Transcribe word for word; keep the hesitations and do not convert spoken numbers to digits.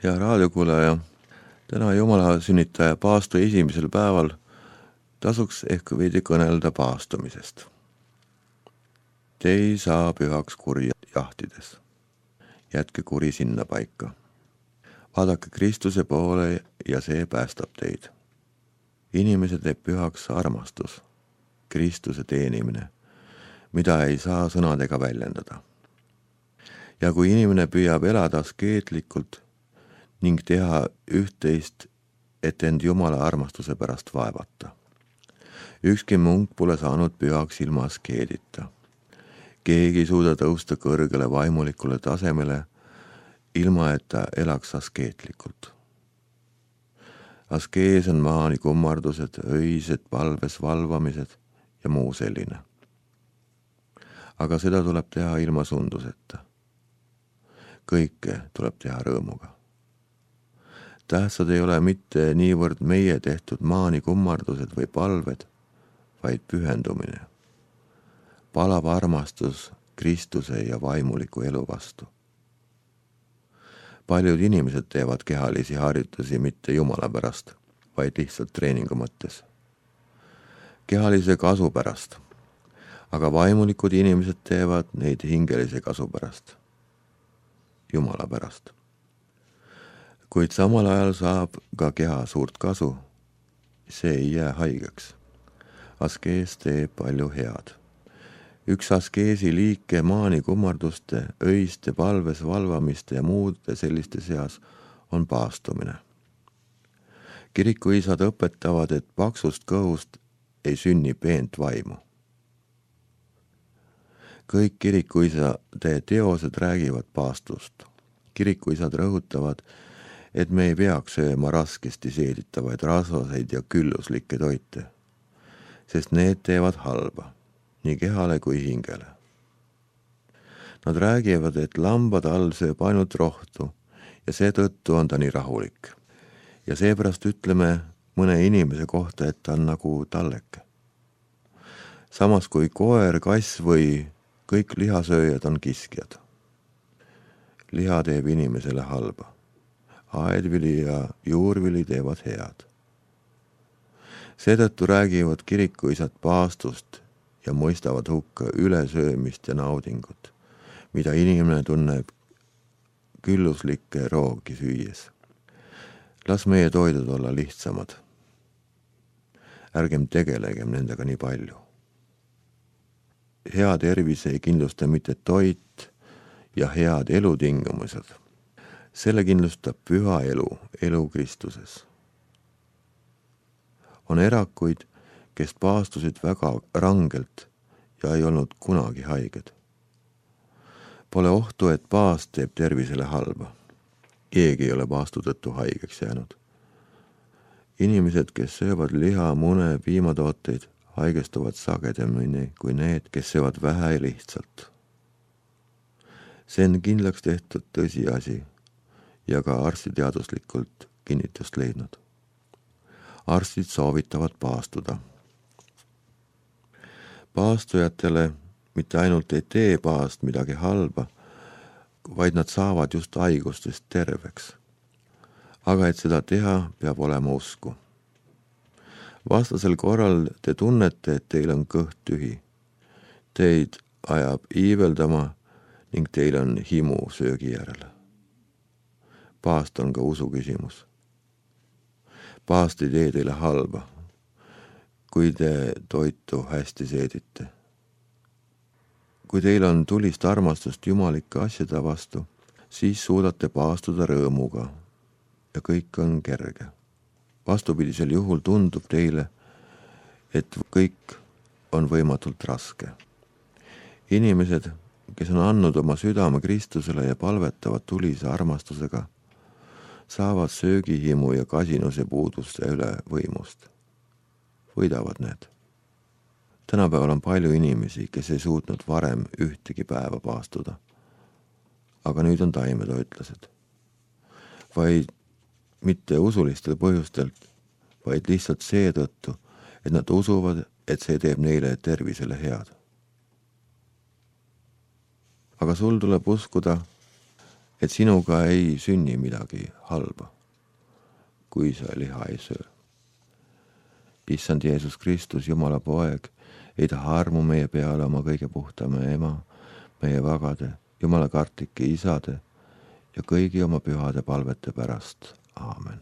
Hea raadiokuulaja, täna Jumala sünnitaja paastu esimesel päeval tasuks ehk veidi kõnelda paastumisest. Te ei saa pühaks kurja jahtides. Jätke kuri sinna paika. Vaadake Kristuse poole ja see päästab teid. Inimese teeb pühaks armastus, Kristuse teenimine, mida ei saa sõnadega väljendada. Ja kui inimene püüab elada askeetlikult ning teha üht-teist, et end Jumala armastuse pärast vaevata. Ükski munk pole saanud pühaks ilma askeedita. Keegi ei suuda tõusta kõrgele vaimulikule tasemele, ilma et ta elaks askeetlikult. Askees on maani kummardused, öised palves valvamised ja muu selline. Aga seda tuleb teha ilma sunduseta. Kõike tuleb teha rõõmuga. Tähtsad ei ole mitte niivõrd meie tehtud maani kummardused või palved, vaid pühendumine. Palav armastus Kristuse ja vaimuliku elu vastu. Paljud inimesed teevad kehalisi harjutusi mitte Jumala pärast, vaid lihtsalt treeningu mõttes. Kehalise kasu pärast, aga vaimulikud inimesed teevad neid hingelise kasu pärast, Jumala pärast. Kuid samal ajal saab ka keha suurt kasu, see ei jää haigeks. Askees teeb palju head. Üks askeesi liike maani kummarduste, öiste palves valvamiste ja muude selliste seas on paastumine. Kirikuisad õpetavad, et paksust kõhust ei sünni peent vaimu. Kõik kirikuisade teosed räägivad paastust. Kirikuisad rõhutavad, et me ei peaks sööma raskesti seeditavaid rasvaseid ja külluslikke toite, sest need teevad halba, nii kehale kui hingele. Nad räägivad, et lambad all sööb ainult rohtu ja seetõttu on ta nii rahulik. Ja seepärast ütleme mõne inimese kohta, et ta on nagu talleke. Samas kui koer, kass või kõik lihasööjad on kiskjad. Liha teeb inimesele halba. Aedvili ja juurvili teevad head. Seetõttu räägivad kirikuisad paastust ja mõistavad hukka ülesöömist ja naudingut, mida inimene tunneb külluslikke roogi süües. Las meie toidud olla lihtsamad. Ärgem tegelegem nendega nii palju. Hea tervis ei kindlusta mitte toit ja head elutingimused. Selle kindlustab püha elu, elu Kristuses. On erakuid, kes paastusid väga rangelt ja ei olnud kunagi haiged. Pole ohtu, et paast teeb tervisele halba. Keegi ei ole paastu tõttu haigeks jäänud. Inimesed, kes söövad liha, mune, piimatooteid, haigestuvad sagedamini kui need, kes söövad vähe ja lihtsalt. See on kindlaks tehtud tõsiasi ja ka arstiteaduslikult kinnitust leidnud. Arstid soovitavad paastuda. Paastujatele mitte ainult ei tee paast midagi halba, vaid nad saavad just haigustest terveks. Aga et seda teha, peab olema usku. Vastasel korral te tunnete, et teil on kõht tühi. Teid ajab iiveldama ning teil on himu söögi järele. Paast on ka usu küsimus. Paast ei tee teile halba, kui te toitu hästi seedite. Kui teil on tulist armastust jumalike asjade vastu, siis suudate paastuda rõõmuga ja kõik on kerge. Vastupidisel juhul tundub teile, et kõik on võimatult raske. Inimesed, kes on andnud oma südame Kristusele ja palvetavad tulise armastusega, saavad söögihimu ja kasinuse puuduste üle võimust. Võidavad need. Tänapäeval on palju inimesi, kes ei suutnud varem ühtegi päeva paastuda. Aga nüüd on taimetoitlased. Vaid mitte usulistel põhjustel, vaid lihtsalt seetõttu, et nad usuvad, et see teeb neile tervisele head. Aga sul tuleb uskuda, et sinuga ei sünni midagi halba, kui sa liha ei söö. Issand Jeesus Kristus, Jumala poeg, ei taha armu meie peale oma kõige puhtama ema, meie vagade, Jumala kartlike isade ja kõigi oma pühade palvete pärast. Aamen.